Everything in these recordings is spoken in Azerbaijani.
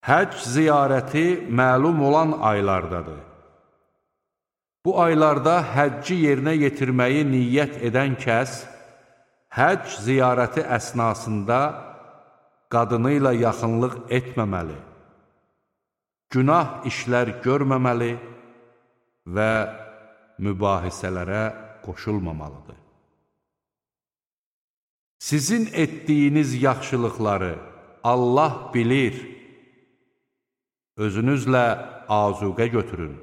Həcc ziyarəti məlum olan aylardadır. Bu aylarda həcci yerinə yetirməyi niyyət edən kəs, həcc ziyarəti əsnasında qadını ilə yaxınlıq etməməli, günah işlər görməməli və mübahisələrə qoşulmamalıdır. Sizin etdiyiniz yaxşılıqları Allah bilir, özünüzlə azuqə götürün.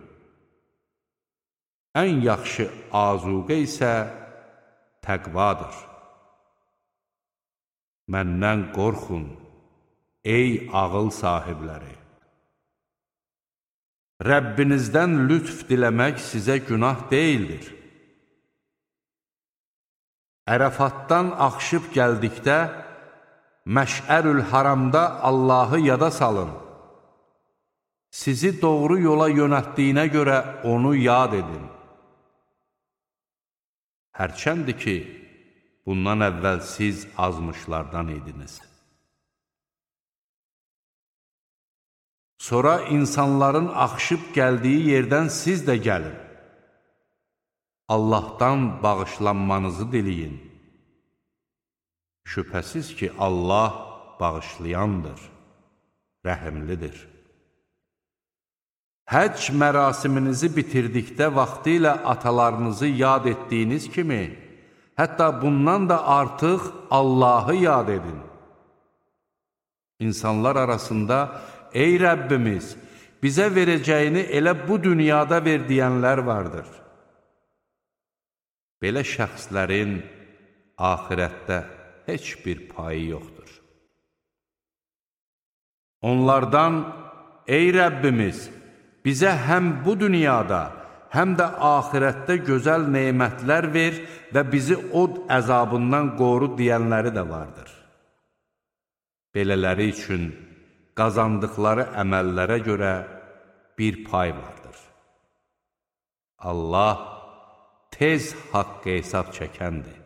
Ən yaxşı azuqə isə təqvadır. Məndən qorxun, ey ağıl sahibləri! Rəbbinizdən lütf diləmək sizə günah deyildir. Ərəfatdan axışıb gəldikdə, Məş'ərül Haramda Allahı yada salın. Sizi doğru yola yönəltdiyinə görə onu yad edin. Hərçəndir ki, bundan əvvəl siz azmışlardan idiniz. Sonra insanların axışıb gəldiyi yerdən siz də gəlin. Allahdan bağışlanmanızı diləyin. Şübhəsiz ki, Allah bağışlayandır, rəhimlidir. Həcc mərasiminizi bitirdikdə vaxtilə atalarınızı yad etdiyiniz kimi, hətta bundan da artıq Allahı yad edin. İnsanlar arasında, ey Rəbbimiz, bizə verəcəyini elə bu dünyada ver deyənlər vardır. Belə şəxslərin axirətdə heç bir payı yoxdur. Onlardan, ey Rəbbimiz, bizə həm bu dünyada, həm də axirətdə gözəl nemətlər ver və bizi od əzabından qoru deyənləri də vardır. Belələri üçün qazandıqları əməllərə görə bir pay vardır. Allah tez haqq hesab çəkəndir.